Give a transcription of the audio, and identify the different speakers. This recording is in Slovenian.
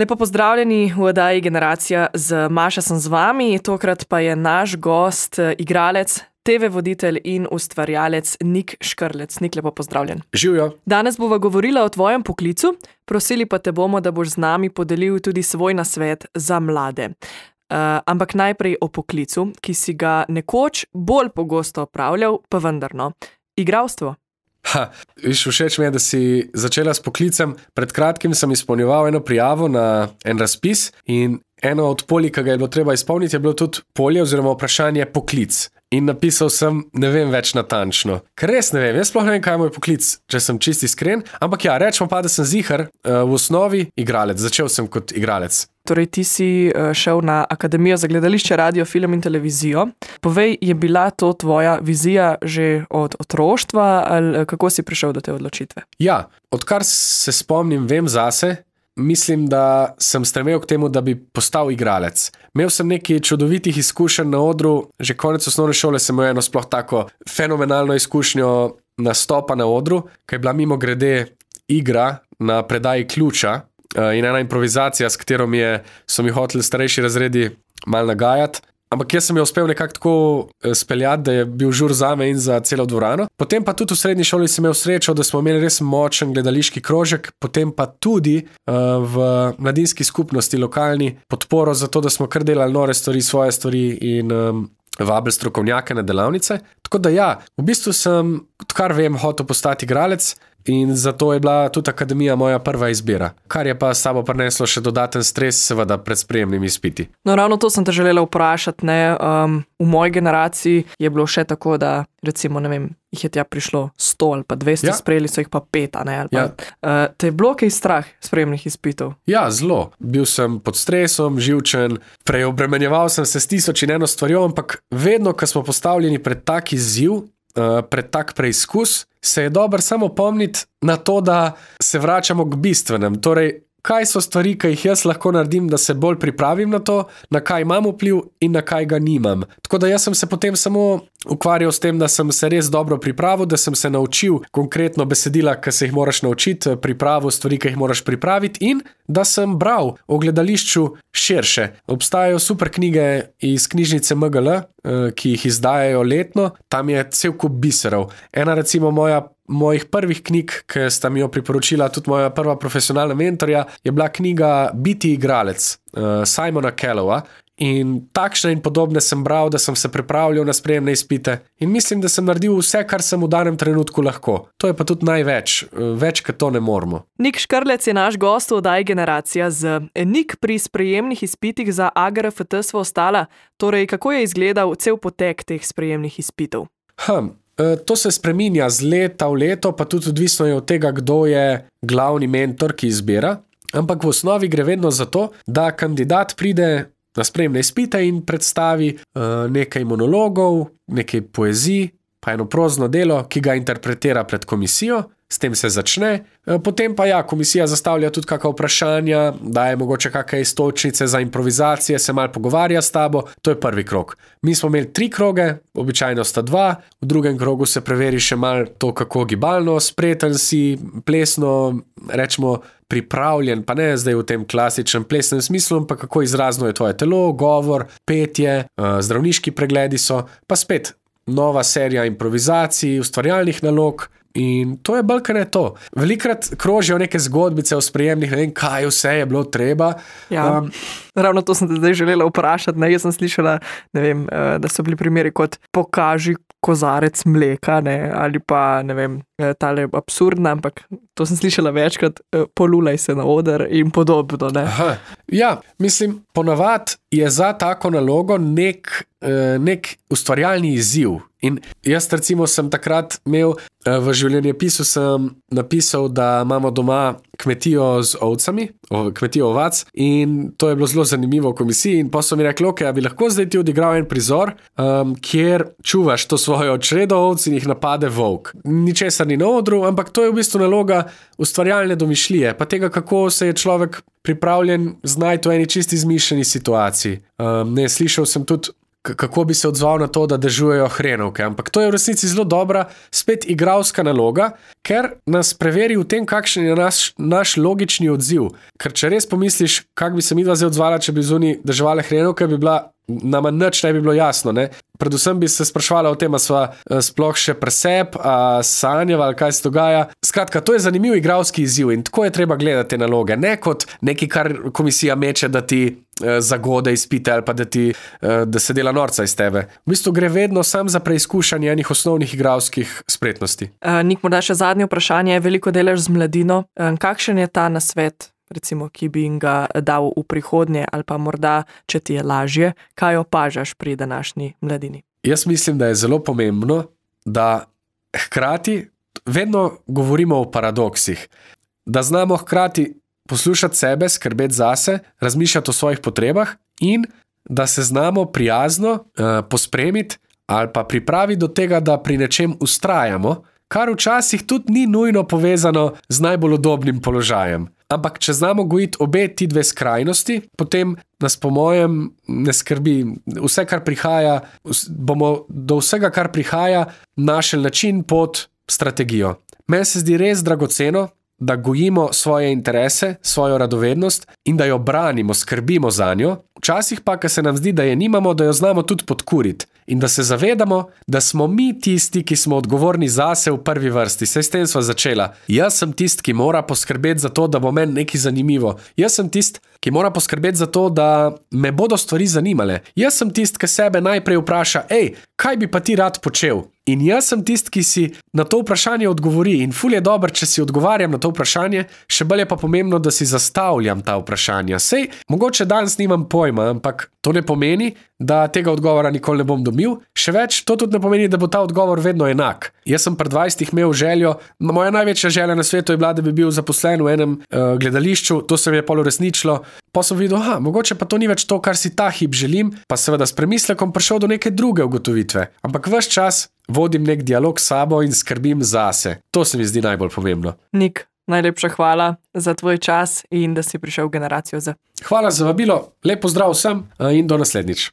Speaker 1: Lepo pozdravljeni v oddaji Generacija z Maša sem z vami, tokrat pa je naš gost, igralec, TV voditelj in ustvarjalec Nik Škrlec. Nik, lepo pozdravljen.
Speaker 2: Živjo.
Speaker 1: Danes bova govorila o tvojem poklicu, prosili pa te bomo, da boš z nami podelil tudi svoj nasvet za mlade. Ampak najprej o poklicu, ki si ga nekoč bolj pogosto opravljal, pa vendarno. Igralstvo.
Speaker 2: Všeč mi je, da si začela s poklicem. Pred kratkim sem izpolnjeval eno prijavo na en razpis in eno od polj, ki ga je bilo treba izpolniti, je bilo tudi polje oziroma vprašanje poklic. In napisal sem, ne vem več natančno. Ker res ne vem, jaz sploh ne vem, kaj je moj poklic, če sem čisto iskren. Ampak ja, rečemo pa, da sem ziher, v osnovi igralec. Začel sem kot igralec.
Speaker 1: Torej, ti si šel na Akademijo za gledališče, radio, film in televizijo. Povej, je bila to tvoja vizija že od otroštva ali kako si prišel do te odločitve?
Speaker 2: Ja, odkar se spomnim, vem zase, mislim, da sem stremel k temu, da bi postal igralec. Imel sem nekaj čudovitih izkušenj na odru, že konec osnovne šole sem imel eno sploh tako fenomenalno izkušnjo nastopa na odru, ki je bila mimogrede igra na predaji Ključa in ena improvizacija, s katero so mi hoteli starejši razredi malo nagajati. Ampak jaz sem jo uspel nekako tako speljati, da je bil žur zame in za celo dvorano. Potem pa tudi v srednji šoli sem imel srečo, da smo imeli res močen gledališki krožek, potem pa tudi v mladinski skupnosti lokalni podporo za to, da smo kar delali nore stvari, svoje stvari in vabili strokovnjake na delavnice. Tako da ja, v bistvu sem, odkar vem, hotel postati igralec. In zato je bila tudi akademija moja prva izbira, kar je pa s sabo prineslo še dodaten stres, seveda pred sprejemnimi izpiti.
Speaker 1: No, ravno to sem te želela vprašati, ne, v moji generaciji je bilo še tako, da recimo, ne vem, jih je tja prišlo 100 ali pa 200, sprejeli so jih pa 5, ne, ali pa. Ja. Te je bilo kaj strah sprejemnih izpitov? Ja,
Speaker 2: zelo. Bil sem pod stresom, živčen, preobremenjeval sem se s 1001 stvarjo, ampak vedno, ko smo postavljeni pred tak izziv, pred tak preizkus, se je dobro samo pomniti na to, da se vračamo k bistvenem. Torej, kaj so stvari, ki jih jaz lahko naredim, da se bolj pripravim na to, na kaj imam vpliv in na kaj ga nimam. Tako da jaz sem se potem samo ukvarjal s tem, da sem se res dobro pripravil, da sem se naučil konkretno besedila, ki se jih moraš naučiti, pripravil stvari, ki jih moraš pripraviti in da sem bral o gledališču širše. Obstajajo super knjige iz knjižnice MGL, ki jih izdajajo letno, tam je cel kup biserov. Ena recimo mojih prvih knjig, ki sta mi jo priporočila tudi moja prva profesionalna mentorja, je bila knjiga Biti igralec Simona Callowa. In takšne in podobne sem bral, da sem se pripravljal na sprejemne izpite in mislim, da sem naredil vse, kar sem v danem trenutku lahko. To je pa tudi največ, več kot to ne moremo.
Speaker 1: Nik Škrlec je naš gost v oddaji Generacija z Nik pri sprejemnih izpitih za AGRFT sva ostala. Torej, kako je izgledal cel potek teh sprejemnih izpitov?
Speaker 2: To se spreminja z leta v leto, pa tudi odvisno je od tega, kdo je glavni mentor, ki izbira. Ampak v osnovi gre vedno za to, da kandidat pride na sprejemne izpite in predstavi nekaj monologov, nekaj poezij, pa eno prozno delo, ki ga interpretira pred komisijo, s tem se začne. Potem pa ja, komisija zastavlja tudi kakšna vprašanja, daje mogoče kakšne iztočnice za improvizacije, se malo pogovarja s tabo, to je prvi krog. Mi smo imeli 3 kroge, običajno sta 2, v drugem krogu se preveri še malo to, kako gibalno, spreten si, plesno, rečemo, pripravljen, pa ne zdaj v tem klasičnem plesnem smislu, pa kako izrazno je tvoje telo, govor, petje, zdravniški pregledi so, pa spet nova serija improvizacij, ustvarjalnih nalog in to je bolj, kaj ne to. Velikrat krožijo neke zgodbice o sprejemnih, ne vem, kaj vse je bilo treba.
Speaker 1: Ja, ravno to sem te zdaj želela vprašati, ne, jaz sem slišala, ne vem, da so bili primeri kot pokaži kozarec mleka, ne, ali pa, ne vem, tale absurdna, ampak to sem slišala večkrat, polulaj se na oder in podobno, ne.
Speaker 2: Aha. Ja, mislim, ponavad je za tako nalogo nek ustvarjalni izziv. In jaz recimo sem takrat imel, v življenjepisu sem napisal, da imamo doma kmetijo z ovcami, kmetijo ovac in to je bilo zelo zanimivo v komisiji in pa so mi rekli, ok, a bi lahko zdaj ti odigral en prizor, kjer čuvaš to svojo čredo ovc in jih napade volk. Ničesar ni na odru, ampak to je v bistvu naloga ustvarjalne domišljije, pa tega, kako se je človek pripravljen znajti v eni čisti izmišljeni situaciji. Slišal sem tudi kako bi se odzval na to, da dežujejo hrenovke. Ampak to je v resnici zelo dobra, spet igralska naloga, ker nas preveri v tem, kakšen je naš logični odziv. Ker če res pomisliš, kako bi se midva zdaj odzvala, če bi zunaj deževale hrenovke, bi bila nama nič ne bi bilo jasno. Ne? Predvsem bi se sprašvala o tem, a sva sploh še preseb, a sanjava ali kaj se dogaja. Skratka, to je zanimiv igralski izziv in tako je treba gledati te naloge. Ne kot nekaj, kar komisija meče, da ti zagode izpite ali pa da se dela norca iz tebe. V bistvu gre vedno sam za preizkušanje enih osnovnih igralskih spretnosti.
Speaker 1: Nik, morda še zadnje vprašanje. Veliko delaš z mladino. Kakšen je ta nasvet, recimo, ki bi jim ga dal v prihodnje ali pa morda, če ti je lažje, kaj opažaš pri današnji mladini?
Speaker 2: Jaz mislim, da je zelo pomembno, da hkrati vedno govorimo o paradoksih. Da znamo hkrati poslušati sebe, skrbeti zase, razmišljati o svojih potrebah in da se znamo prijazno pospremiti ali pa pripraviti do tega, da pri nečem vztrajamo, kar včasih tudi ni nujno povezano z najbolj udobnim položajem. Ampak če znamo gojiti obe ti dve skrajnosti, potem nas po mojem ne skrbi. Vse, kar prihaja, bomo do vsega, kar prihaja, našli način, pot, strategijo. Meni se zdi res dragoceno, da gojimo svoje interese, svojo radovednost in da jo branimo, skrbimo za njo. Včasih pa, ko se nam zdi, da je nimamo, da jo znamo tudi podkuriti in da se zavedamo, da smo mi tisti, ki smo odgovorni zase v prvi vrsti. Saj s tem sva začela. Jaz sem tisti, ki mora poskrbeti za to, da bo meni nekaj zanimivo. Jaz sem tisti, ki mora poskrbeti za to, da me bodo stvari zanimale. Jaz sem tisti, ki sebe najprej vpraša, kaj bi pa ti rad počel? In jaz sem tisti, ki si na to vprašanje odgovori. In ful je dobro, če si odgovarjam na to vprašanje, še bolj je pa pomembno, da si zastavljam ta vprašanja. Sej, mogoče danes nimam pojma, ampak to ne pomeni, da tega odgovora nikoli ne bom dobil. Še več, to tudi ne pomeni, da bo ta odgovor vedno enak. Jaz sem pred 20 imel željo, moja največja želja na svetu je bila, da bi bil zaposlen v enem gledališču, to se mi je pol uresničilo. Pa sem videl, mogoče pa to ni več to, kar si ta hip želim, pa seveda s premislekom prišel do neke druge ugotovitve. Ampak ves čas vodim nek dialog s sabo in skrbim zase. To se mi zdi najbolj pomembno.
Speaker 1: Nik, najlepša hvala za tvoj čas in da si prišel v Generacijo Z.
Speaker 2: Hvala za vabilo, lep pozdrav vsem in do naslednjič.